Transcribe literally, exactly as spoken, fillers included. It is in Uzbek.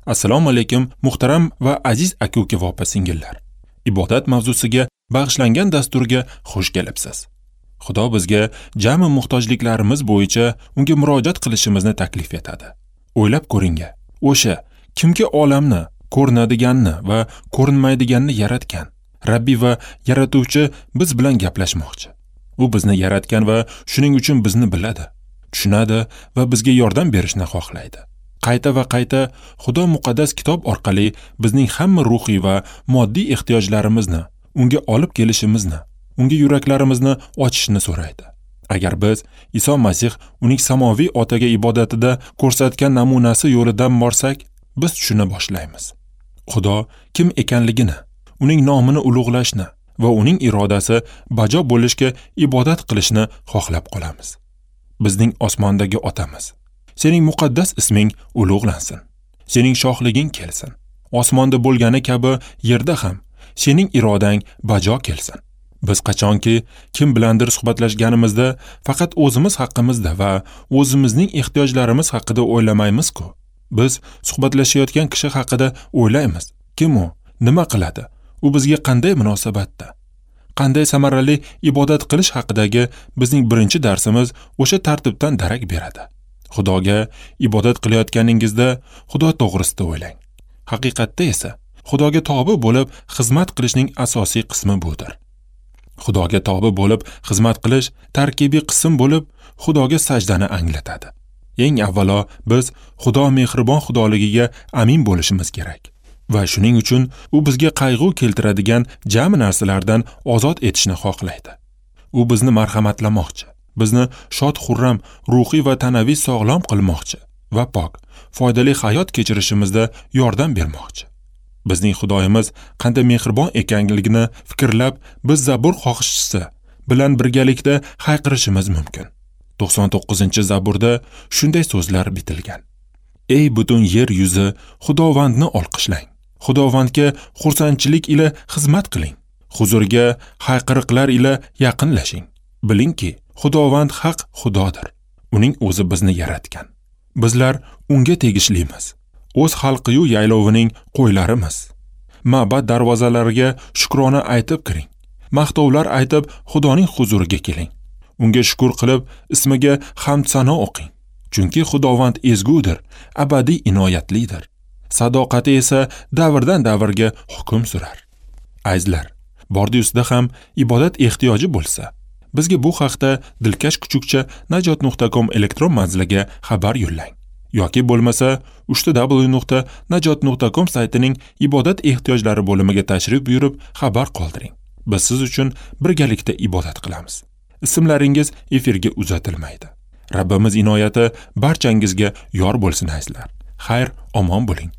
Assalomu alaykum muhtaram va aziz aka-uka va opa-singillar. Ibodat mavzusiga bag'ishlangan dasturga xush kelibsiz. Xudo bizga jami muhtojliklarimiz bo'yicha unga murojaat qilishimizni taklif etadi. O'ylab ko'ring, o'sha kimki olamni, ko'rinadiganni va ko'rinmaydiganni yaratgan Rabbi va yaratuvchi biz bilan gaplashmoqchi. U bizni yaratgan va shuning uchun bizni biladi, tushunadi va bizga yordam berishni xohlaydi. Qayta va qayta Xudo muqaddas kitob orqali bizning hamma ruhiy va moddiy ehtiyojlarimizni unga olib kelishimizni, unga yuraklarimizni ochishni so'raydi. Agar biz Iso Masih uning samoviy otaga ibodatida ko'rsatgan namunasi yo'lidan borsak, biz tushuna boshlaymiz. Xudo kim ekanligini, uning nomini ulug'lashni va uning irodasi bajo bo'lishga ibodat qilishni xohlab qolamiz. Bizning osmondagi otamiz, sening muqaddas isming ulug'lansin. Sening shohliging kelsin. Osmonda bo'lgani kabi yerda ham sening irodang bajo kelsin. Biz qachonki kim bilandir suhbatlashganimizda faqat o'zimiz haqimizda va o'zimizning ehtiyojlarimiz haqida o'ylamaymiz-ku. Biz suhbatlashayotgan kishi haqida o'ylaymiz. Kim u? Nima qiladi? U bizga qanday munosabatda? Qanday samarali ibodat qilish haqidagi bizning birinchi darsimiz o'sha tartibdan darak beradi. Xudoga ibodat qilayotganingizda Xudo to'g'risida o'ylang. Haqiqatda esa Xudoga tobe bo'lib xizmat qilishning asosiy qismi budir. Xudoga tobe bo'lib xizmat qilish tarkibiy qism bo'lib, Xudoga sajdani anglatadi. Eng avvalo biz Xudo mehribon Xudoligiga amin bo'lishimiz kerak va shuning uchun u bizga qayg'u keltiradigan jami narsalardan ozod etishni xohlaydi. U bizni marhamatlamoqchi, bizni shod-xurram, ruhiy va tanaviy sog'lom qilmoqchi va pok, foydali hayot kechirishimizda yordam bermoqchi. Bizning Xudoyimiz qanday mehribon ekanligini fikrlab, biz Zabur xohishchisi bilan birgalikda hayqirishimiz mumkin. to'qson to'qqizinchi Zaburda shunday so'zlar bitilgan. Ey butun yer yuzi, Xudovandni olqishlang. Xudovandga xursandchilik ila xizmat qiling. Huzuriga hayqiriqlar ila yaqinlashing. Bilingki, Xudovand haq Xudodir. Uning o'zi bizni yaratgan. Bizlar unga tegishlimiz. O'z xalqiyu yaylovining qo'ylarimiz. Ma'bad darvozalariga shukrona aytib kiring. Maqtovlar aytib Xudoning huzuriga keling. Unga shukr qilib, ismiga hamd sano o'qing. Chunki Xudovand ezgudir, abadiy inoyatlidir. Sadoqati esa davrdan davrga hukm surar. Azizlar, bordi-ustida ham ibodat ehtiyoji bo'lsa, bizga bu haqda dilkash kuchukcha najot nuqta com elektron manziliga xabar yo'llang. Yoki bo'lmasa uch ta w nuqta najot nuqta com saytining ibodat ehtiyojlari bo'limiga tashrif buyurib xabar qoldiring. Biz siz uchun birgalikda ibodat qilamiz. Ismlaringiz efirga uzatilmaydi. Rabbimiz inoyati barchangizga yor bo'lsin azizlar. Xayr, omon bo'ling.